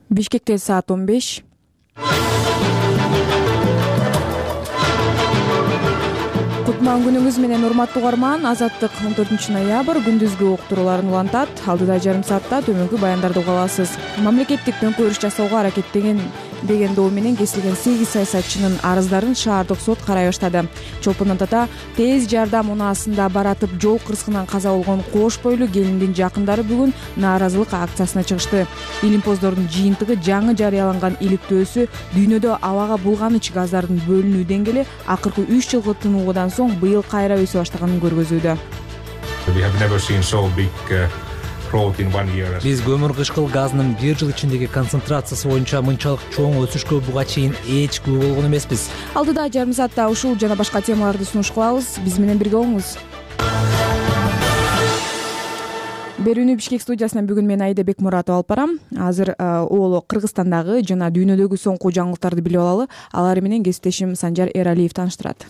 Бишкекте саат 15. Кутман күнүңүз менен урматтуу угарман. Азаттык 14 ноябрь күндүзгү уктурууларын улантат. Алдыда жарым саатта төмөнкү баяндарды уга аласыз. Мамлекеттик төңкөрүш жасоого аракеттеген деген доо менен кесилген 8 саясатчынын арыздарын шаардык сот карай баштады. Чолпон Ата тез жардам унаасында баратып жол кырсыгынан каза болгон кош бойлуу келиндин жакындары бүгүн нааразылык акциясына чыгышты. Илимпоздордун жыйынтыгы жаңы жарыяланган иликтөөсү дүйнөдө абага булганыч газдардын бөлүнүү деңгээли акыркы 3 жылкы тынуудан соң быйыл кайра өсө баштаганын көргөзүүдө. Биз көмүр кычкыл газынын бир жыл ичиндеги концентрациясы боюнча мынчалык чоң өсүшкө буга чейин эч күбө болгон эмеспиз. Алдыда жарым саатта ушул жана башка темаларды сунуш кылабыз. Биз менен бирге болуңуз. Берүүнү Бишкек студиясынан бүгүн мен Айда Бекмуратова алып барам. Азыр оолу Кыргызстандагы жана дүйнөдөгү соңку жаңылыктарды билип алалы. Алар менен кесиптешим Санжар Эралиев тааныштырат.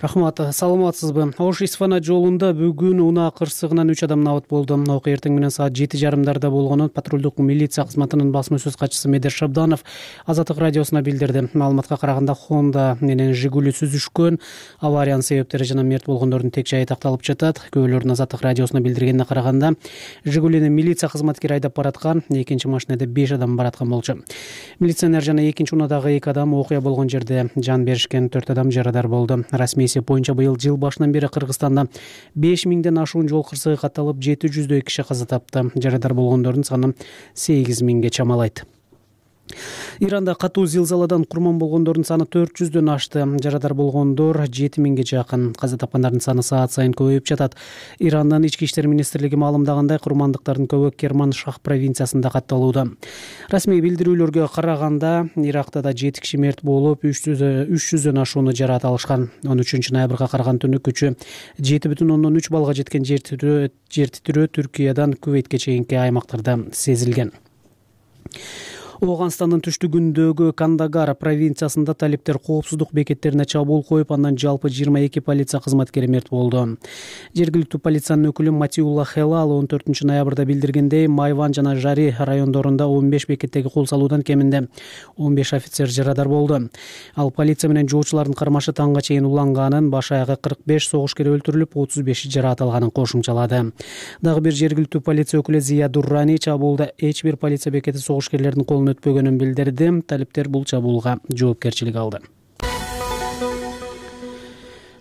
Рахмат, саламатсызбы? Ош-Исфана жолунда бүгүн унаа кырсыгынан 3 адам набыт болду. Окуя эртең менен саат 7:30 болгонун патрулдук милиция кызматынын басма сөз катчысы Медер Шабданов Азаттык радиосуна билдирди. Маалыматка караганда Honda менен Жигули сүзүшкөн. Авариянын себептери жана мерт болгондордун тек жайы такталып жатат. Күбөлөрдүн Азаттык радиосуна билдиргенине караганда Жигулини милиция кызматкери айдап бараткан, экинчи машинада 5 адам бараткан болчу. Милиционер жана экинчи унаадагы 2 адам окуя болгон жерде жан беришкен, 4 адам жарадар болду. Расмий боюнча быйыл жыл башынан бери Кыргызстанда 5000ден ашуун жол кырсыгы катталып 700дөй киши каза тапты. Жарадар болгондордун саны 8000ге чамалайт. Иранда катуу зилзаладан курман болгондордун саны 400дөн ашты. Жарадар болгондор 7000ге жакын. Каза тапкандардын саны саат сайын көбөйүп жатат. Ирандын ички иштер министрлиги маалымдагандай, курмандыктардын көбү Керман-Шах провинциясында катталууда. Расмий билдирүүлөргө караганда, Иракта да 7 киши мерт болуп, 300дөн ашууну жараат алышкан. 13 ноябрга караган түнү күчү 7,3 баллга жеткен жер титирөө Түркиядан Кувейтке чейинки аймактарда сезилген. Ооганстандын түштүгүндөгү Кандагар провинциясында талиптер коопсуздук бекеттерине чабуул коюп, андан жалпы 22 полиция кызматкери мерт болду. Жергиликтүү полициянын өкүлү Матиулла Хелал 14 ноябрда билдиргендей, Майван жана Жари райондорунда 15 бекеттеги кол салуудан кеминде 15 офицер жарадар болду. Ал полиция менен жоочулардын кармашы таңга чейин уланганын, баш аягы 45 согушкер өлтүрүлүп, 35 жараат алганын кошумчалады. Дагы бир жергиликтүү полиция өкүлү Зия Дуррани чабуулда эч бир полиция бекети согушкерлердин колуна өтпөгөнүн билдирди. Талиптер бул чабуулга жоопкерчилик алды.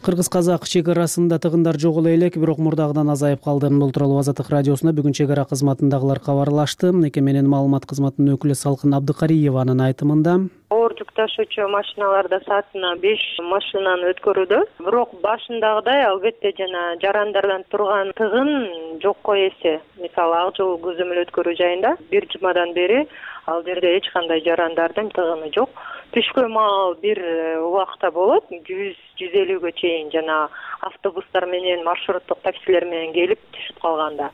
Кыргыз-казак чек арасында тыгындар жок элек, бирок мурдагыдан азайып калды. Бул тууралуу Азаттык радиосуна бүгүн чек ара кызматындагылар кабарлашты. Мекеменин маалымат кызматынын өкүлү Салкын Абдыкариеванын айтымында, оор жүк ташуучу машиналарда саатына 5 машинаны өткөрүүдө. Бирок башындагыдай албетте жана жарандардан турган тыгын жокко эсе. Мисалы, ак жол көзөмөл өткөрүү жайында 1 жумадан бери ал жерде эч кандай жарандардын тыгыны жок. Түшкө маал бир убакта болот, 100-150гө чейин жана автобустар менен, маршруттук таксилер менен келип түшүп калганда.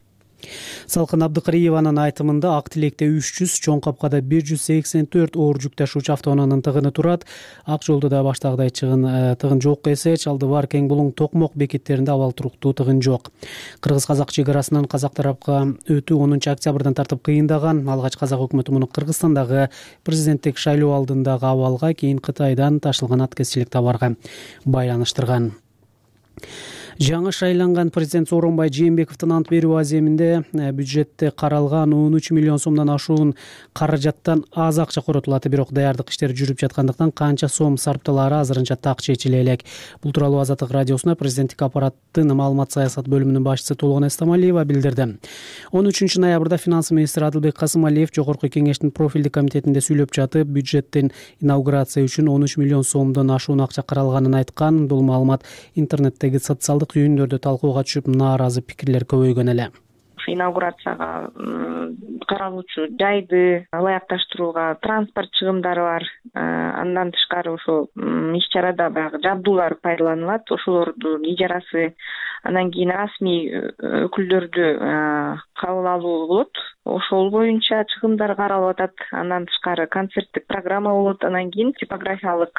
Салкын Абдыкариеванын айтымында Ак Тилекте 300, Чоң Капкада 184 оор жүк ташуучу автоунаанын тыгыны турат. Ак жолдо да баштагыдай тыгын жок эсе, Чалдыбар, Кең Булуң, Токмок бекеттеринде абал туруктуу тыгын жок. Кыргыз-казак чек арасынан казак тарапка өтүү 10 октябрдан тартып кыйындаган. Алгач казак өкмөтү муну Кыргызстандагы президенттик шайлоо алдындагы абалга, кийин Кытайдан ташылган аткезчилик товарга байланыштырган. Жаңы шайланган президент Сооронбай Жээнбековдун ант берүү аземинде бюджетте каралган 13 миллион сомдон ашуун каражаттан аз акча коротулат, бирок даярдык иштери жүрүп жаткандыктан канча сом сарпталаары азырынча так чечиле элек. Бул тууралуу Азаттык радиосуна президенттик аппараттын маалымат саясат бөлүмүнүн башчысы Толгон Эстамалиева билдирди. 13 ноябрда финанс министри Адылбек Касымалиев Жогорку кеңештин профилдик комитетинде сүйлөп жатып, бюджеттин инаугурация үчүн 13 миллион сомдон ашуун акча каралганын айткан. Бул маалымат интернеттеги социалдык түйүндөрдө талкууга түшүп, нааразы пикирлер көбөйгөн эле. Инаугурацияга каралуучу жайды ылайыкташтырууга транспорт чыгымдары бар. Андан тышкары ошол иш чарада баягы жабдуулар пайдаланылат, ошолордун ижарасы, андан кийин расмий өкүлдөрдү кабыл алуу болот. Ошол боюнча чыгымдар каралып атат. Андан тышкары концерттик программа болот, анан кийин типографиялык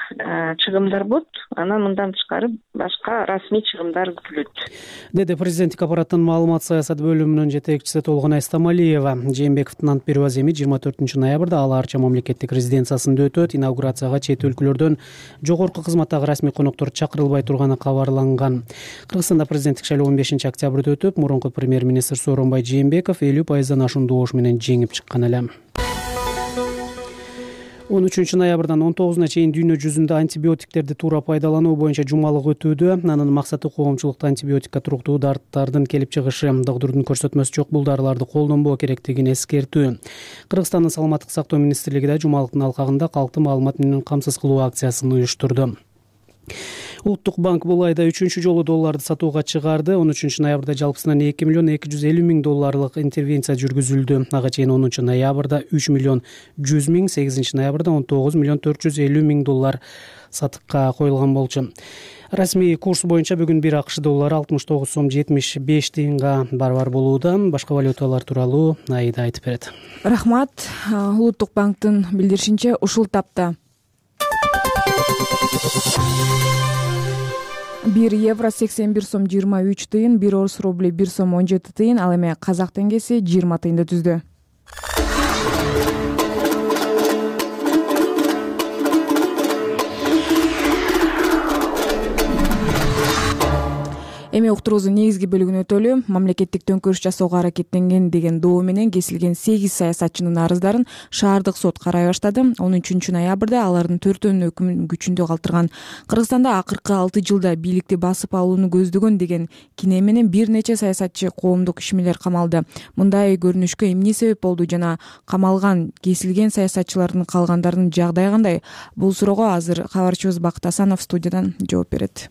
чыгымдар болот, анан мындан тышкары башка расмий чыгымдар күтүлөт, деди президенттик аппараттын маалымат саясат бөлүмүнүн жетекчиси Толгонай Стамалиева. Жээнбековдун ант берүү аземи 24-ноябрда Ала Арча мамлекеттик резиденциясында өтөт. Инаугурацияга чет өлкөлөрдөн жогорку кызматтагы расмий коноктор чакырылбай турганы кабарланган. Кыргызстанда президенттик шайлоо 15-октябрда өтүп, мурунку премьер-министр Сооронбай Жээнбеков 50%дан ашуун добуш менен жеңип чыккан эле. 13-ноябрдан 19-на чейин дүйнө жүзүндө антибиотиктерди туура пайдалануу боюнча жумалык өтүүдө. Анын максаты коомчулукта антибиотикке туруктуу дарттардын келип чыгышы, доктурдун көрсөтмөсү жок бул дарыларды колдонбоо керектигин эскертүү. Кыргызстандын саламаттык сактоо министрлиги да жумалыктын алкагында калкты маалымат менен камсыз кылуу акциясын уюштурду. Улуттук банк бул айда 3-чү жолу долларды сатууга чыгарды. 13-ноябрда жалпысынан 2 миллион 250 миң долларлык интервенция жүргүзүлдү. Ага чейин 10-ноябрда 3 миллион 100 миң, 8-ноябрда 19 миллион 450 миң доллар сатыкка коюлган болчу. Расмий курс боюнча бүгүн 1 АКШ доллары 69 сом 75 тыйынга барабар болууда. Башка валюталар тууралуу Аида айтып берет. Рахмат. Улуттук банктын билдиришинче ушул тапта 1 евро 81 сом 23 тыйын, 1 орус рубли 1 сом 17 тыйын, ал эми казак теңгеси 20 тыйынды түздү. Эми уктуруубуздун негизги бөлүгүнө өтөлү. Мамлекеттик төңкөрүш жасоого аракеттенген деген доо менен кесилген 8 саясатчынын арыздарын шаардык сот карай баштады. 13-ноябрда алардын 4-өнүн өкүмүн күчүндө калтырган. Кыргызстанда акыркы 6 жылда бийликти басып алууну көздөгөн деген кине менен бир нече саясатчы, коомдук ишмерлер камалды. Мындай көрүнүшкө эмне себеп болду жана камалган, кесилген саясатчылардын калгандарынын жагдайы кандай? Бул суроого азыр кабарчыбыз Бакыт Асанов студиядан жооп берет.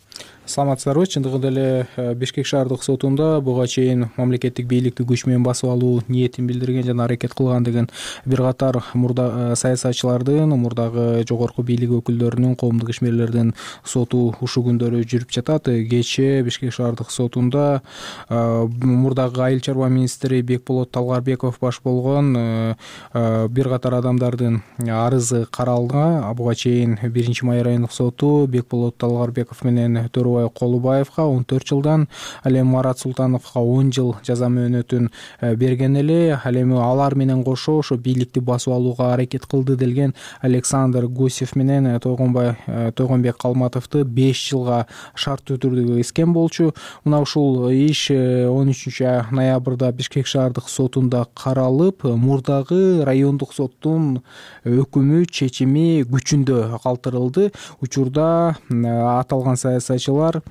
Саламатсыздарбы? Чындыгында эле Бишкек шаардык сотунда буга чейин мамлекеттик бийликти күч менен басып алуу ниетин билдирген жана аракет кылган деген бир катар мурда саясатчылардын, мурдагы жогорку бийлик өкүлдөрүнүн, коомдук ишмерлердин соту ушул күндөрү жүрүп жатат. Кечээ Бишкек шаардык сотунда мурдагы айыл чарба министри Бекболот Талгарбеков баш болгон бир катар адамдардын арызы каралды. Буга чейин 1-май райондук соту Бекболот Талгарбеков менен Төрөбай Колубаевга 14 жылдан, ал эми Марат Султановго 10 жыл жаза мөөнөтүн берген эле. Ал эми алар менен кошо ошо бийликти басып алууга аракет кылды делген Александр Гусев менен Тойгонбек Калматовду 5 жылга шарттуу түрдө эскен болчу. Мына ушул иш 13-ноябрда Бишкек шаардык сотунда каралып, мурдагы райондук соттун өкүмү, чечими күчүндө калтырылды. Учурда аталган саясатчылар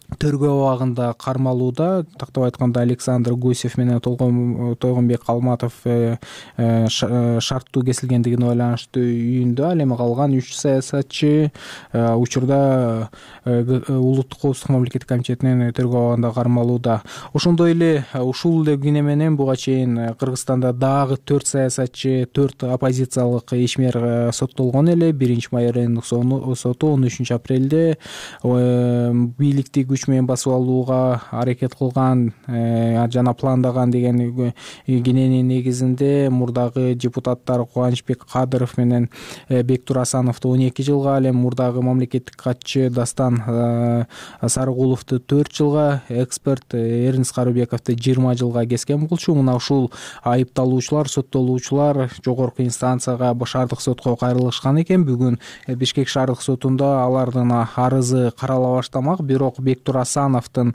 тергөө абагында кармалууда. Тактап айтканда Александр Гусев менен Тойгонбек Калматов шарттуу кесилгендигине байланыштуу үйүндө, ал эми калган 3 саясатчы учурда улуттук коопсуздук мамлекеттик комитетинин тергөө абагында кармалууда. Ошондой эле ушул эле күнү менен буга чейин Кыргызстанда дагы 4 саясатчы, 4 оппозициялык ишмер соттолгон эле. 1-май райондук соту 13-апрелде бийликти күч менен басып алууга аракет кылган жана пландаган деген киненин негизинде мурдагы депутаттар Кубанычбек Кадыров менен Бектур Асановду 12 жылга, ал эми мурдагы мамлекеттик катчы Дастан Сарыгуловду 4 жылга, эксперт Эрнис Карыбековду 20 жылга кескен болчу. Мына ушул айыпталуучулар, соттолуучулар жогорку инстанцияга, шаардык сотко кайрылышкан экен. Бүгүн Бишкек шаардык сотунда алардын арызы карала баштамак. Бирок Бектур Асановдун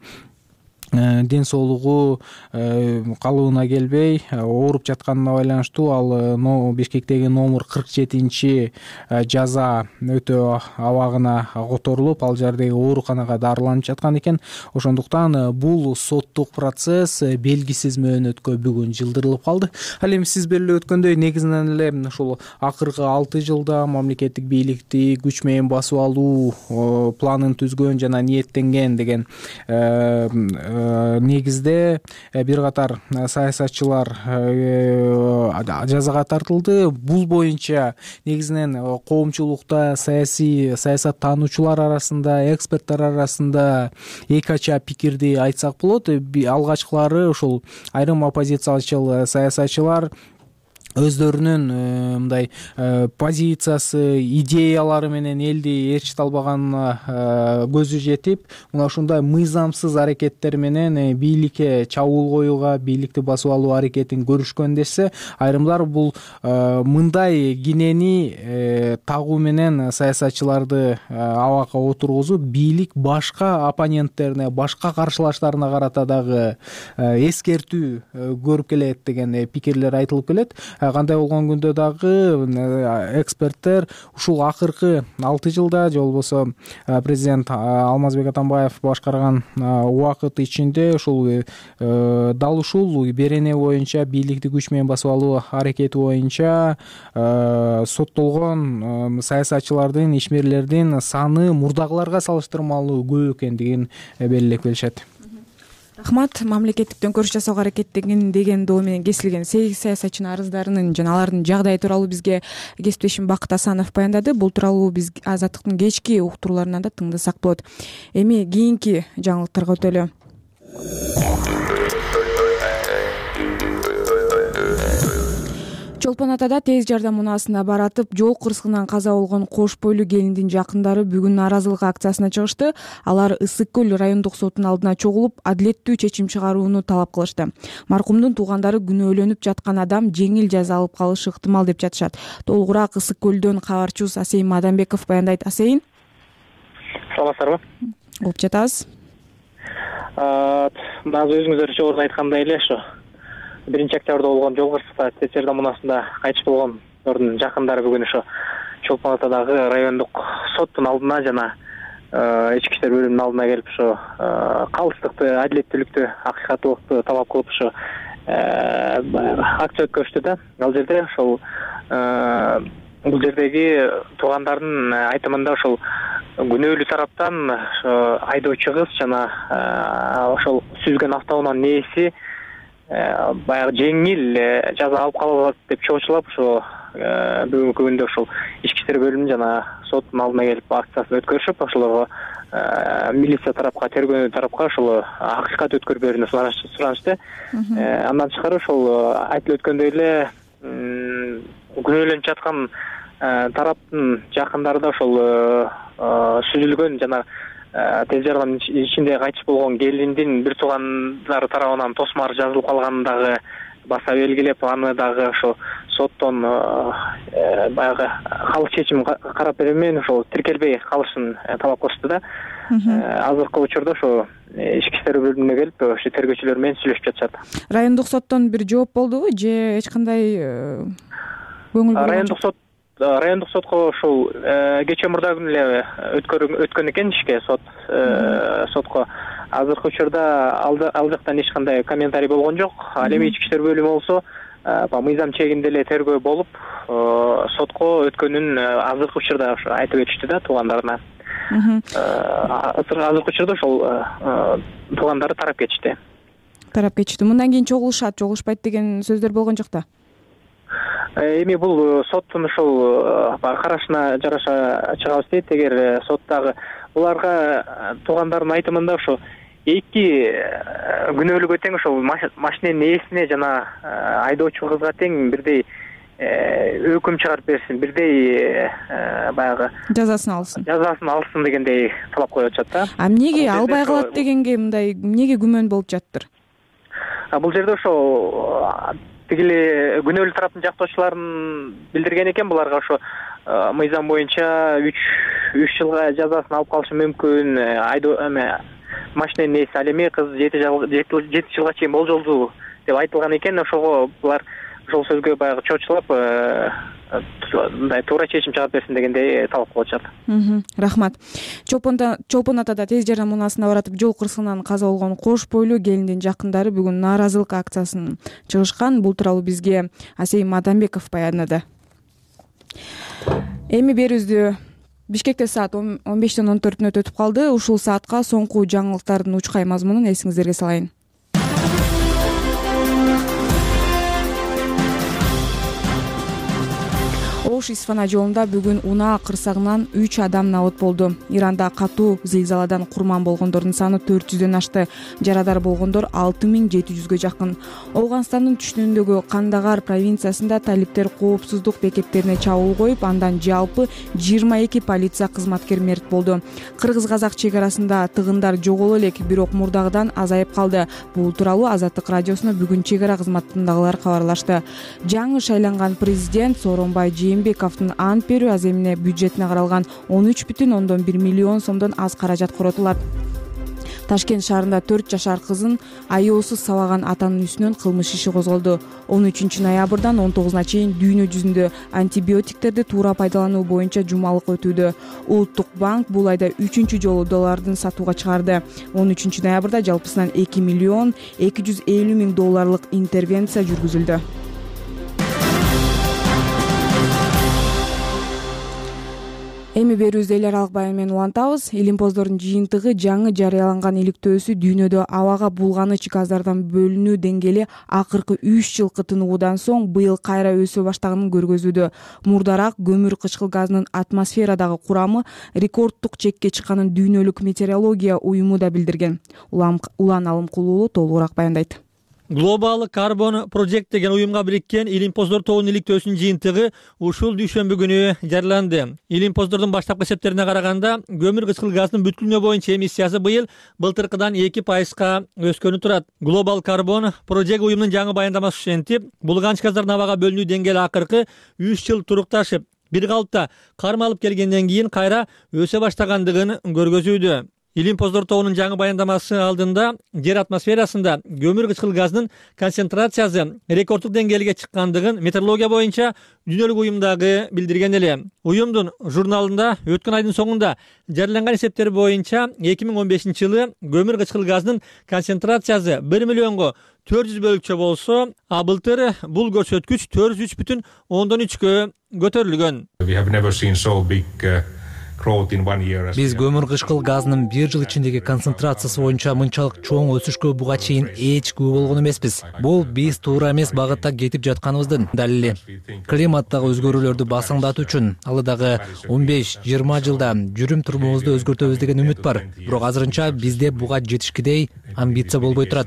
ден соолугу калыбына келбей, ооруп жатканына байланыштуу ал Бишкектеги номер 47 жаза өтөө абагына которулуп, ал жердеги ооруканага дарыланып жаткан экен. Ошондуктан бул соттук процесс белгисиз мөөнөткө бүгүн жылдырылып калды. Ал эми сиз беле өткөндөй, негизинен эле ушул акыркы 6 жылда мамлекеттик бийликти күч менен басып алуу планын түзгөн жана ниеттенген деген негизде бир катар саясатчылар жазага тартылды. Бул боюнча негизинен коомчулукта, саясаттануучулар арасында, эксперттер арасында эки ача пикирди айтсак болот. Алгачкылары ушул айрым оппозициячыл саясатчылар өздөрүнүн мындай позициясы, идеялары менен элди ээрчите албаганына көзү жетип, мына ушундай мыйзамсыз аракеттер менен бийликке чабуул коюуга, бийликти басып алуу аракетин көрүшкөндесе, айрымдар бул мындай кинени тагуу менен саясатчыларды абакка отургузуп, бийлик башка оппоненттерине, башка каршылаштарына карата дагы эскертүү көрүп келет деген пикирлер айтылып келет. Кандай болгон күндө дагы эксперттер ушул акыркы 6 жылда же болбосо президент Алмазбек Атамбаев башкарган убакыт ичинде ушул дал ушул берене боюнча, бийликти күч менен басып алуу аракети боюнча соттолгон саясатчылардын, ишмерлердин саны мурдагыларга салыштырмалуу көп экендигин белгилеп келишет. Рахмат. Мамлекеттик төңкөрүш жасоого аракеттенген деген доо менен кесилген 8 саясатчынын арыздарынын жана алардын жагдайы тууралуу бизге кесиптешим Бакыт Асанов баяндады. Бул тууралуу биз Азаттыктын кечки уктурууларынан да тыңдасак болот. Эми кийинки жаңылыктарга өтөлү. Чолпон Атада тез жардам унаасына баратып, жол кырсыгынан каза болгон кош бойлуу келиндин жакындары бүгүн нааразылык акциясына чыгышты. Алар Ысык көл райондук соттун алдына чогулуп, адилеттүү чечим чыгарууну талап кылышты. Маркумдун туугандары күнөөлөнүп жаткан адам жеңил жаза алып калышы ыктымал деп жатышат. Толугураак Ысык көлдөн кабарчыбыз Асейин Мадамбеков баяндайт. Асейин, саламатсыздарбы? угуп жатабыз. Азыр өзүңүздөр жогоруда айткандай эле ошо 1-октябрда болгон жол кырсыкта тез жардам унаасында кайтыш болгондордун жакындары бүгүн ошо Чолпон Атадагы райондук соттун алдына жана ички иштер бөлүмүнүн алдына келип ошо калыстыкты, адилеттүүлүктү, акыйкаттуулукту талап кылып ошо акция өткөрүштү да. Ал жерде ошол бул жердеги туугандардын айтымында ошол күнөөлүү тараптан айдоочу кыз жана ошол сүзгөн автоунаанын ээси баягы жеңил жаза алып калат деп чоочулап ошо бүгүнкү күндө ошол ички иштер бөлүмүнүн жана соттун алдына келип акциясын өткөрүшүп, ошолорго милиция тарапка, тергөө тарапка ошол акыйкат өткөрүп берүүнү суранышты. Андан тышкары ошол айтылып өткөндөй эле күнөөлөнүп жаткан тараптын жакындары да ошол сүзүлгөн жана тез жардам ичинде кайтыш болгон келиндин бир туугандары тарабынан тосмар жазылып калганын дагы баса белгилеп, аны дагы ошо соттон баягы калыс чечим карап берүү менен ошол тиркелбей калышын талап кылышты да. Азыркы учурда ошо ички иштер бөлүмүнө келип ошо тергөөчүлөр менен сүйлөшүп жатышат. Райондук соттон бир жооп болдубу же эч кандай көңүл бурган? Райондук сотко ошол кечээ мурда күнү эле өткөн экен ишке сотко. Азыркы учурда ал жактан эч кандай комментарий болгон жок. Ал эми ички иштер бөлүмү болсо мыйзам чегинде эле тергөө болуп, сотко өткөнүн азыркы учурда ошо айтып беришти да туугандарына. Азыркы учурда ошол туугандары тарап кетишти. Мындан кийин чогулушпайт деген сөздөр болгон жок да? Эми бул соттун ошол карашына жараша чыгабыз дейт. Эгер соттагы буларга туугандардын айтымында ошо эки күнөөлүгө тең ошол машиненин ээсине жана айдоочу кызга тең бирдей өкүм чыгарып берсин, бирдей баягы жазасын алсын дегендей талап коюп атышат да. Эмнеге албай калат дегенге мындай эмнеге күмөн болуп жатыптыр? Бул жерде ошо тигили күнөөлүү тараптын жактоочуларын билдирген экен, буларга ошо мыйзам боюнча 3 жылга жазасын алып калышы мүмкүн. Машиненин ээси ал эми кыз 7 жылга чейин болжолдуу деп айтылган экен. Ошого булар ошол сөзгө баягы чоочулап мындай туура чечим чыгарып берсин дегендей талап кылып атышат. Рахмат. Чолпон Атада тез жардам унаасына баратып жол кырсыгынан каза болгон кош бойлуу келиндин жакындары бүгүн нааразылык акциясына чыгышкан. Бул тууралуу бизге Асейин Мадамбеков баяндады. Эми берүүбүздү Бишкекте саат 15:14 өтүп калды. Ушул саатка соңку жаңылыктардын учкай мазмунун эсиңиздерге салайын. Ош-Исфана жолунда бүгүн унаа кырсыгынан 3 адам набыт болду. Иранда катуу зилзаладан курман болгондордун саны 400дөн ашты. Жарадар болгондор 6700гө жакын. Ооганстандын түштүгүндөгү Кандагар провинциясында талиптер коопсуздук бекеттерине чабуул коюп, андан жалпы 22 полиция кызматкери мерт болду. Кыргыз-казак чек арасында тыгындар жоголо элек, бирок мурдагыдан азайып калды. Бул тууралуу Азаттык радиосуна бүгүн чек ара кызматындагылар кабарлашты. Жаңы шайланган президент Сооронбай Жээнбековдун ант берүү аземине бюджетине каралган 13,1 миллион сомдон аз каражат коротулат. Ташкент шаарында 4 жашар кызын аяосуз сабаган атанын үстүнөн кылмыш иши козголду. 13 ноябрдан 19 чейин дүйнө жүзүндө антибиотиктерди туура пайдалануу боюнча жумалык өтүүдө. Улуттук банк бул айда 3 жолу доллардын сатууга чыгарды. 13 ноябрда жалпысынан 2 миллион 250 миң долларлык интервенция жүргүзүлдү. Эми берүүбүздү эл аралык баян менен улантабыз. Илимпоздордун жыйынтыгы жаңы жарыяланган иликтөөсү дүйнөдө абага булганыч газдардан бөлүнүү деңгээли акыркы 3 жылкы тынуудан соң быйыл кайра өсө баштаганын көргөзүүдө. Мурдараак көмүр кычкыл газынын атмосферадагы курамы рекорддук чекке чыкканын дүйнөлүк метеорология уюму да билдирген. Улан Алымкулуу толугураак баяндайт. Global Carbon Project деген уюмга бириккен Илимпоздор тоонун иликтөөсүнүн жыйынтыгы ушул дүйшөмбү күнү жарыяланды. Илимпоздордун баштапкы эсептерине караганда, көмүр кычкыл газынын бүткүлүнө боюнча эмиссиясы быйыл былтыркыдан 2%га өскөнү турат. Global Carbon Project уюмунун жаңы баяндамасы ушентип, булганыч газдардын абага бөлүнүү деңгээли акыркы 3 жыл турукташып, бир калыпта кармалып келгенден кийин кайра өсө баштагандыгын көргөзүүдө. Илимпоздор тоонун жаңы баяндамасы алдында жер атмосферасында көмүр кычкыл газынын концентрациясы рекорддук деңгээлге чыккандыгын метеорология боюнча дүйнөлүк уюм дагы билдирген эле. Уюмдун журналында өткөн айдын соңунда жарыяланган эсептер боюнча 2015 жылы көмүр кычкыл газынын концентрациясы 1 миллионго 400 бөлүкчө болсо, а былтыр бул көрсөткүч 403,3гө көтөрүлгөн. Биз көмүр кычкыл газынын бир жыл ичиндеги концентрациясы боюнча мынчалык чоң өсүшкө буга чейин эч күбө болгон эмеспиз. Бул биз туура эмес багытта кетип жатканыбыздын далили. Климаттагы өзгөрүүлөрдү басаңдатуу үчүн алыдагы 15-20 жылда жүрүм турумубузду өзгөртөбүз деген үмүт бар. Бирок азырынча бизде буга жетишкидей амбиция болбой турат.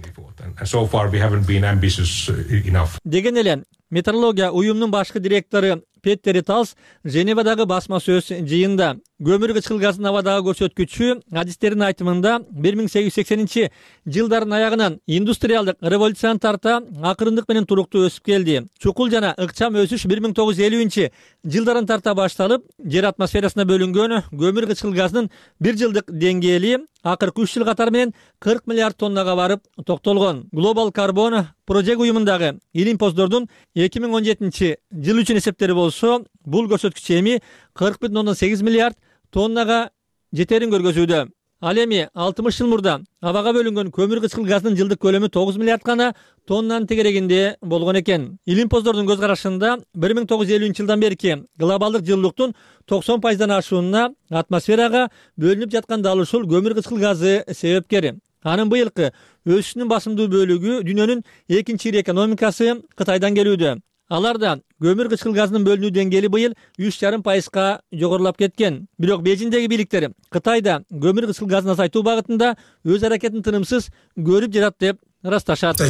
Деген эле метеорология уюмунун башкы директору Петтер Талс Женевадагы басма сөз жыйында көмүр кычкыл газынын абадагы көрсөткүчү адистердин айтымында 1880 жылдардын аягынан индустриалдык революцияны тарта акырындык менен туруктуу өсүп келди. Чукул жана ыкчам өсүш 1950 жылдарын тарта башталып, жер атмосферасына бөлүнгөн көмүр кычкыл газынын бир жылдык деңгээли акыркы 3 жыл катары менен 40 миллиард тоннага барып токтолгон. Global Carbon Project уюмундагы Илимпоздордун 2017 жыл үчүн эсептери болсо, бул көрсөткүч эми 40,8 миллиард тоннага жетерин көргөзүүдө. Ал эми 60 жыл мурда абага бөлүнгөн көмүр кычкыл газынын жылдык көлөмү 9 миллиард гана тоннанын тегерегинде болгон экен. Илимпоздордун көз карашында 1950 жылдан берки глобалдык жылуулуктун 90%дан ашуунуна атмосферага бөлүнүп жаткан дал ушул көмүр кычкыл газы себепкер. Анын быйылкы өсүшүнүн басымдуу бөлүгү дүйнөнүн экинчи ири экономикасы Кытайдан келүүдө. Аларда көмүр кычкыл газынын бөлүнүү деңгээли быйыл 3,5%га жогорулап кеткен. Бирок Бейжиңдеги бийликтер Кытайда көмүр кычкыл газын азайтуу багытында өз аракетин тынымсыз көрүп жатат деп ырасташат.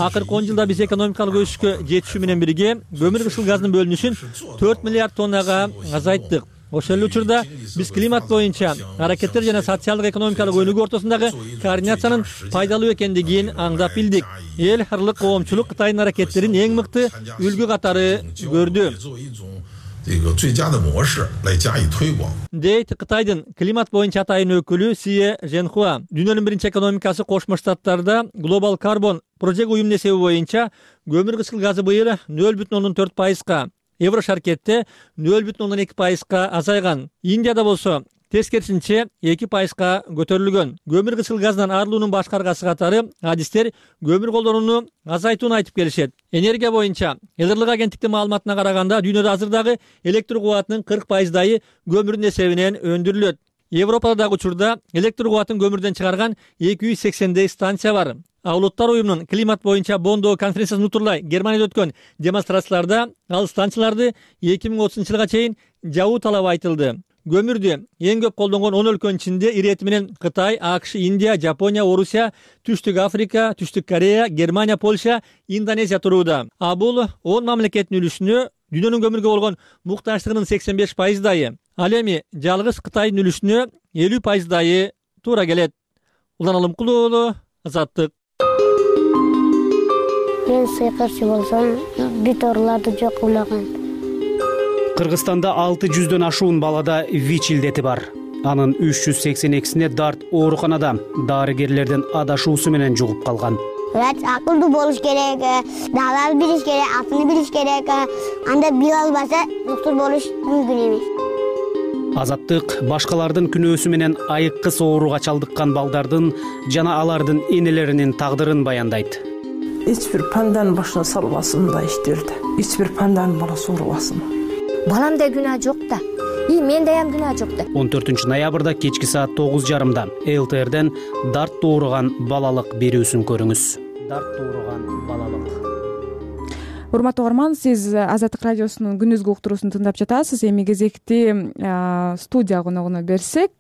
Акыркы 10 жылда биз экономикалык өсүшкө жетишүү менен бирге көмүр кычкыл газынын бөлүнүшүн 4 миллиард тоннага азайттык. Ошол эле учурда биз климат боюнча аракеттер жана социалдык экономикалык өнүгүү ортосундагы координациянын пайдалуу экендигин аңдап билдик. Эл аралык коомчулук Кытайдын аракеттерин эң мыкты үлгү катары көрдү. Дейт Кытайдын климат боюнча атайын өкүлү Сие Женхуа. Дүйнөнүн биринчи экономикасы Кошмо Штаттарда Global Carbon Project уюмунун эсеби боюнча көмүр кычкыл газы быйыл 0,4%га, Еврошаркетте 0,2%га азайган. Индияда болсо тескерисинче 2%га көтөрүлгөн. Көмүр кычкыл газынан арылуунун башкы аргасы катары адистер көмүр колдонууну азайтууну айтып келишет. Энергия боюнча Элдырлык агенттиктин маалыматына караганда дүйнөдө азыр дагы электр кубатынын 40%-ы көмүрдүн эсебинен өндүрүлөт. Европада дагы учурда электр кубатын көмүрдөн чыгарган 280 станция бар. Улуттар уюмунун климат боюнча Бондо конференциясын утурлай Германияда өткөн демонстрацияларда ал станцияларды 2030-жылга чейин жабуу талабы айтылды. Көмүрдү эң көп колдонгон 10 өлкөнүн ичинде ирети менен Кытай, АКШ, Индия, Жапония, Орусия, Түштүк Африка, Түштүк Корея, Германия, Польша, Индонезия турууда. Бул 10 мамлекеттин үлүшүнө дүйнөнүн көмүргө болгон муктаждыгынын 85%-дайы. Ал эми жалгыз Кытайдын үлүшүнө 50%-дайы туура келет. Улан Алымкулуу уулу, Азаттык. Мен сыйкырчы болсом, бүт ооруларды жок кылаган. Кыргызстанда 600дөн ашуун балада ВИЧ илдети бар. Анын 382-сине дарт ооруканада дарыгерлердин адашуусу менен жугуп калган. Врач акылдуу болуш керек, дагы билиш керек, атын билиш керек. Анда биле албаса, доктор болуш мүмкүн эмес. Азаттык башкалардын күнөөсү менен айыккыс ооруга чалдыккан балдардын жана алардын энелеринин тагдырын баяндайт. Эч бир панданын башына салбасын мындай иштерди. Эч бир панданын баласы оорубасын. Баламда күнөө жок да. Менде ham күнөө жок да. 14-ноябрда кечки саат 9:30-да ЛТРден дарт ооруган балалык берүүсүн көрүңүз. Дарт ооруган балалык. Урматтуу угарман, сиз Азаттык радиосунун күндүзгү уктуруусун тыңдап жатасыз. Эми кезекти студия коногуна берсек,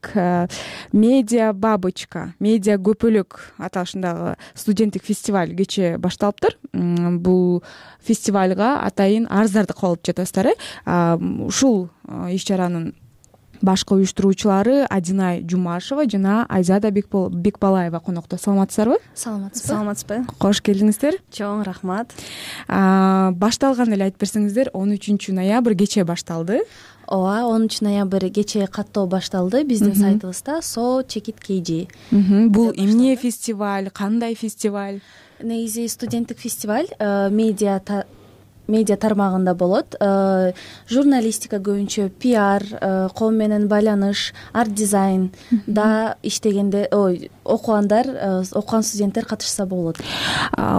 Медиа Бабочка, медиа көпөлөк аталышындагы студенттик фестиваль кечээ башталыптыр. Бул фестивалга атайын арыздарды кабыл алып жатасыздар. Ушул иш-чаранын башкы уюштуруучулары Адинай Жумашева жана Айзада Бекбалаева конокто. Саламатсыздарбы? Саламатсызбы. Кош келдиңиздер. Чоң рахмат. Башталган эле айтып берсеңиздер, 13 ноябрь кечээ башталды. Ооба, 13 ноябрь кечээ каттоо башталды биздин сайтыбызда So Check It KG. Бул эмне фестиваль, кандай фестиваль? Негизи студенттик фестиваль, медиа тармагында болот. Журналистика көбүнчө, пиар, коом менен байланыш, арт дизайн да иштегенде, окуган студенттер катышса болот.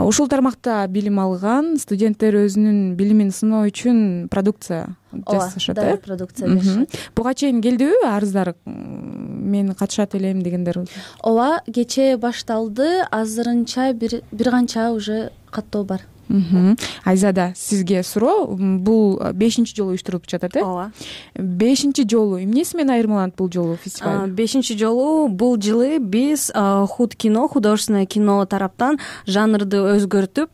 Ушул тармакта билим алган студенттер өзүнүн билимин сыноо үчүн продукция жасашат, да, продукция беришет. Буга чейин келдиби арыздар? Мен катышат элем дегендер? Ооба, кечээ башталды. Азырынча бир канча уже каттоо бар. Айзада, сизге суроо. Бул 5-чи жолу уюштурулуп жатат, э? Ооба. 5-чи жолу эмнеси менен айырмаланат бул жолу фестиваль? 5-чи жолу бул жылы биз худ кино, художественное кино тараптан жанрды өзгөртүп,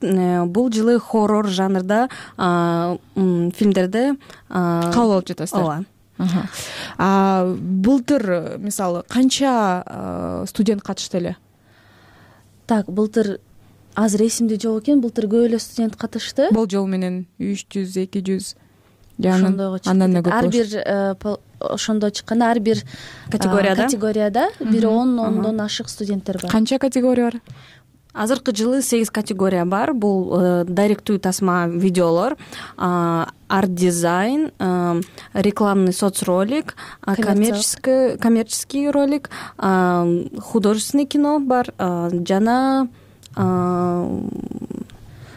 бул жылы хоррор жанрда фильмдерди кабыл алып жатасыздар. Ооба. Былтыр, мисалы, канча студент катышты эле? Так, былтыр азыр эсимде жок экен, былтыр көп эле студент катышты. Болжол менен 300, 200 андан да көп. Ар бир ошондо чыкканда ар бир категорияда бир 10 ашык студенттер бар. Канча категория бар? Азыркы жылы 8 категория бар. Бул дайректүү тасма видеолор, арт дизайн, рекламный соцролик, коммерческий ролик, художественный кино бар, жана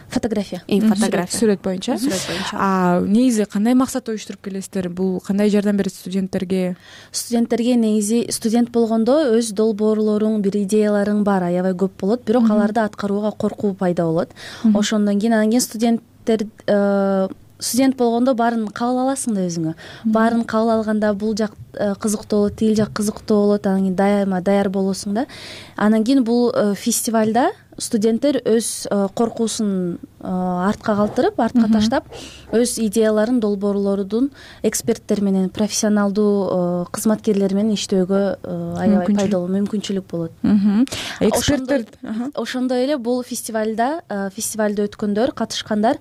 фотография. Сүрөт боюнча. Негизи кандай максатта уюштуруп келесиздер? Бул кандай жардам берет студенттерге? Студенттерге негизи студент болгондо өз долбоорлоруң, бир идеяларың бар, аябай көп болот, бирок аларды аткарууга коркуу пайда болот. Ошондон кийин студент болгондо баарын кабыл аласың да өзүңө. Баарын кабыл алганда бул жак кызыктуу болот, тил жак кызыктуу болот, анан кийин даяр болосуң да. Анан кийин бул фестивалда студенттер өз коркуусун артка калтырып, артка таштап, өз идеяларын, долбоорлорун эксперттер менен, профессионалдуу кызматкерлер менен иштөөгө аябай пайдалуу мүмкүнчүлүк болот. Эксперттер ошондой эле бул фестивалда өткөндөр, катышкандар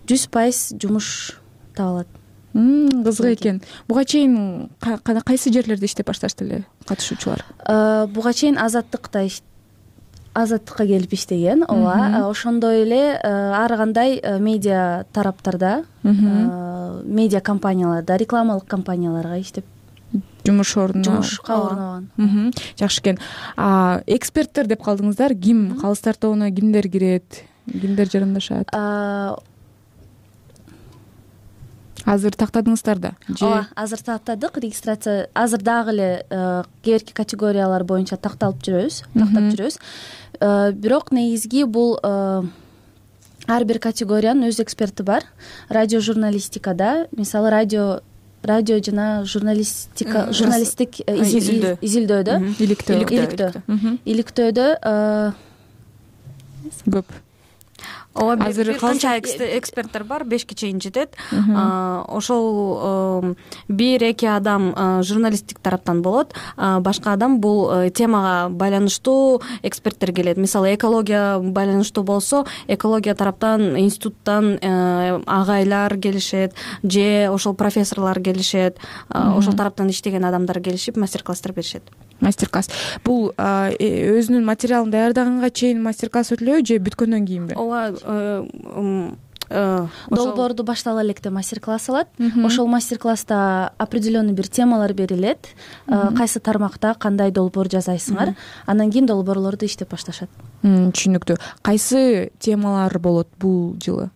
100% жумуш таба алат. Кызык экен. Буга чейин кайсы жерлерде иштеп башташты эле катышуучулар? Буга чейин Азаттыкка келип иштеген. Ооба, ошондой эле ар кандай медиа тараптарда, медиа компанияларда, рекламалык компанияларга иштеп жумуш орнобаган. Жакшы экен. Эксперттер деп калдыңыздар. Ким калыс тартоонуна кимдер кирет, кимдер жарандашат? Азыр тактадыңыздар да? Ооба, азыр тактадык. Регистрация азыр дагы эле кээерки категориялар боюнча тактап жүрөбүз. Бирок негизги бул ар бир категориянын өз эксперти бар. Радио журналистикада, мисалы радио жана журналисттик изилдөөдө, иликтөөдө көп. Ооба, бир канча эксперттер бар, 5ке чейин жетет. Ошол 1-2 адам журналисттик тараптан болот, башка адам бул темага байланыштуу эксперттер келет. Мисалы экология байланыштуу болсо, экология тараптан институттан агайлар келишет же ошол профессорлор келишет. Ошол тараптан иштеген адамдар келишип мастер-класстар беришет. Мастер-класс бул өзүнүн материалын даярдаганга чейин мастер-класс өтүлөбү же бүткөндөн кийинби? Ооба, долбоорду баштала электе мастер-класс алат. Ошол мастер-класста определенный бир темалар берилет. Кайсы тармакта кандай долбоор жасайсыңар, андан кийин долбоорлорду иштеп башташат. Түшүнүктүү. Кайсы темалар болот бул жылы?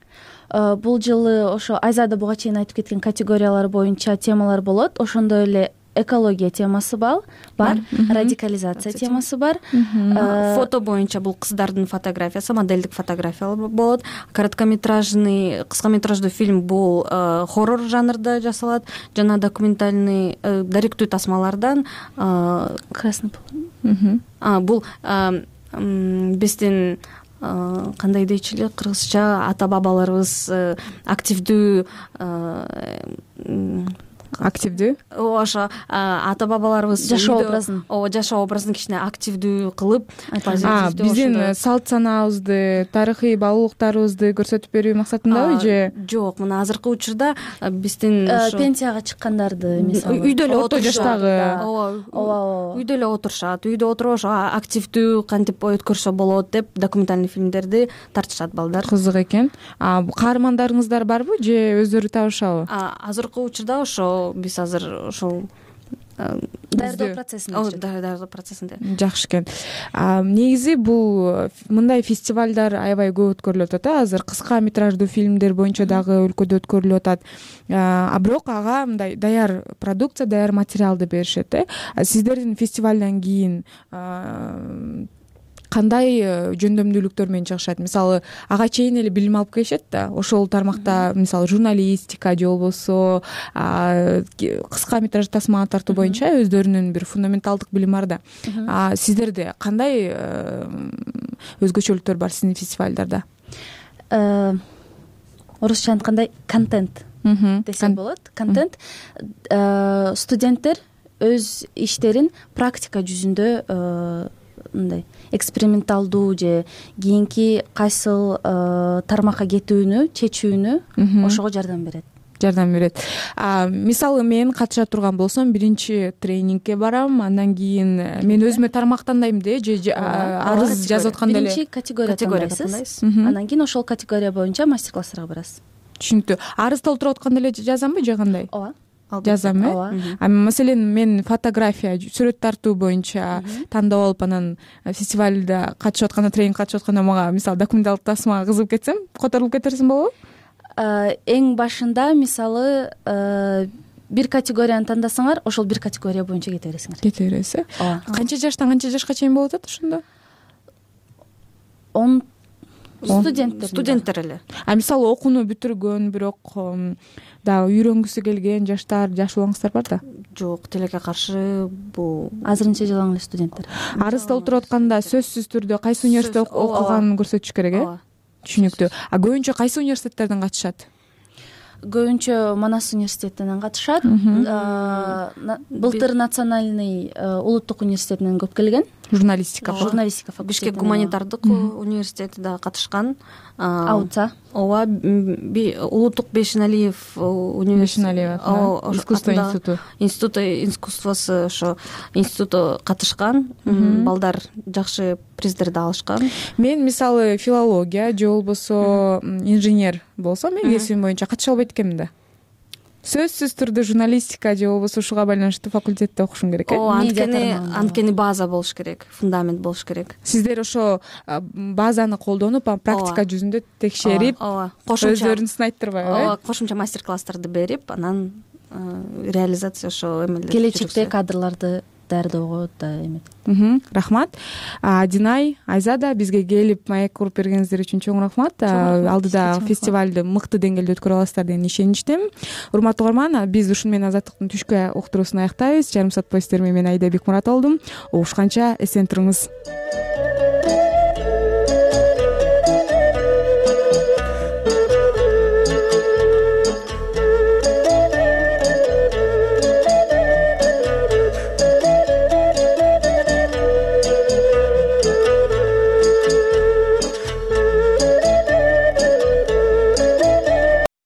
Бул жылы ошо Айзада буга чейин айтып кеткен категориялар боюнча темалар болот. Ошондой эле экология темасы бар, радикализация темасы бар. Фото боюнча бул кыздардын фотографиясы, моделдик фотографиялар болот. Короткометражный, кыскаметраждуу фильм бул хоррор жанрда жасалат, жана документальный даректүү тасмалардан красный. Бул биздин кандай дейчү эле, кыргызча ата бабаларыбыз активдүү ошо ата бабаларыбыз жашоо образын жашоо образын кичине активдүү кылып, биздин салт санаабызды, тарыхый баалуулуктарыбызды көрсөтүп берүү максатындабы же жок? Мына азыркы учурда биздин пенсияга чыккандарды, мисалы үйдө эле орто жаштагы, үйдө эле отурушат, үйдө отуруп ошо активдүү кантип өткөрсө болот деп документальный фильмдерди тартышат балдар. Кызык экен. Каармандарыңыздар барбы же өздөрү табышабы? Азыркы учурда ошо биз азыр ошол даярдоо процессинде. Жакшы экен. Негизи бул мындай фестивалдар аябай көп өткөрүлүп атат. Азыр кыска метраждуу фильмдер боюнча дагы өлкөдө өткөрүлүп атат. Бирок ага мындай даяр продукция, даяр материалды беришет. Сиздердин фестивалдан кийин кандай жөндөмдүүлүктөр менен чыгышат? Мисалы, ага чейин эле билим алып келишет да. Ошол тармакта мисалы журналистика же болбосо кыска метраж тасма тартуу боюнча өздөрүнүн бир фундаменталдык билими бар да. Сиздерде кандай өзгөчөлүктөр бар сиздин фестивалдарда? Орусча айткандай контент десе болот. Контент студенттер өз иштерин практика жүзүндө мындай эксперименталдуу же кийинки кайсыл тармакка кетүүнү чечүүнү ошого жардам берет. Мисалы мен катыша турган болсом, биринчи тренингке барам, андан кийин мен өзүмө тармак тандайм же арыз жазып атканда эле биринчи категория тандайсыз, андан кийин ошол категория боюнча мастер-класстарга барасыз. Түшүнүктүү. Арыз толтуруп атканда эле жазамбы же кандай? Ооба. Жазам, Маселен, мен фотография, сүрөт тартуу боюнча тандап алып, анан фестивалда катышып атканда, тренинг катышып атканда мага мисалы документалдык тасмага кызыгып кетсем, которулуп кетерсиң болобу? Эң башында мисалы бир категорияны тандасаңар, ошол бир категория боюнча кете бересиңер. Кете бересиз. Канча жаштан канча жашка чейин болуп атат ошондо? Студенттер эле. Мисалы окууну бүтүргөн, бирок дагы үйрөнгүсү келген жаштар, жаш улаңыздар бар да? Жок, тилекке каршы бул азырынча жалаң эле студенттер. Арыз толтуруп атканда сөзсүз түрдө кайсы университетте окуганын көрсөтүш керек, Түшүнүктүү. Көбүнчө кайсы университеттерден катышат? Көбүнчө Манас университетинен катышат. Былтыр Национальный улуттук университетинен көп келген. Журналистика факультети. Бишкек гуманитардык университети да катышкан. АУЦА. Ооба, улуттук Бейшеналиев университети. Искусство институту. Институт искусствосу ошо институту катышкан. Балдар жакшы приздерди алышкан. Мен мисалы филология же болбосо инженер болсом, мен кесибим боюнча катыша албайт экенмин да. сөзсүз түрдө журналистика же болбосо ушуга байланыштуу факультетте окушуң керек анткени база болуш керек, фундамент болуш керек. Сиздер ошо базаны колдонуп практика жүзүндө текшерип өздөрүн сынайттырбайбы? Ооба, кошумча мастер класстарды берип, анан реализация ошо эмелер келечекте кадрларды даярдоого да эметет. Рахмат. Динай, Айзада бизге келип маек куруп бергениңиздер үчүн чоң рахмат. Алдыда фестивалды мыкты деңгээлде өткөрө аласыздар деген ишеничтемин. Урматтуу угарман, биз ушуну менен Азаттыктын түшкү уктуруусун аяктайбыз. Жарым саат боюнча мен Айда Бекмурат болдум. Угушканча эсен туруңуз.